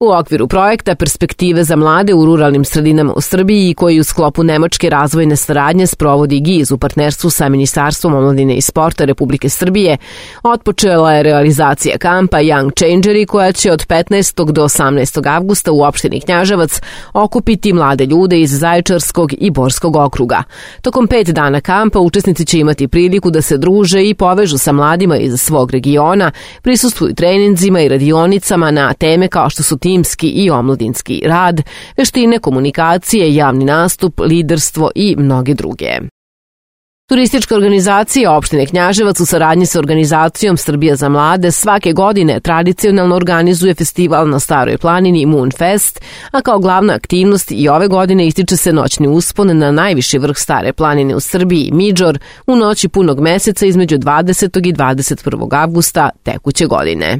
U okviru projekta Perspektive za mlade u ruralnim sredinama u Srbiji, koji u sklopu Nemačke razvojne saradnje sprovodi GIZ u partnerstvu sa Ministarstvom omladine i sporta Republike Srbije, otpočela je realizacija kampa Young Changeri, koja će od 15. do 18. avgusta u opštini Knjaževac okupiti mlade ljude iz Zaječarskog i Borskog okruga. Tokom 5 dana kampa učesnici će imati priliku da se druže i povežu sa mladima iz svog regiona, prisustvuju treninzima i radionicama na teme kao što su timski i omladinski rad, veštine komunikacije, javni nastup, liderstvo i mnoge druge. Turistička organizacija opštine Knjaževac u saradnji sa organizacijom Srbija za mlade svake godine tradicionalno organizuje festival na Staroj planini Moon Fest, a kao glavna aktivnost i ove godine ističe se noćni uspon na najviši vrh Stare planine u Srbiji, Midžor, u noći punog meseca između 20. i 21. avgusta tekuće godine.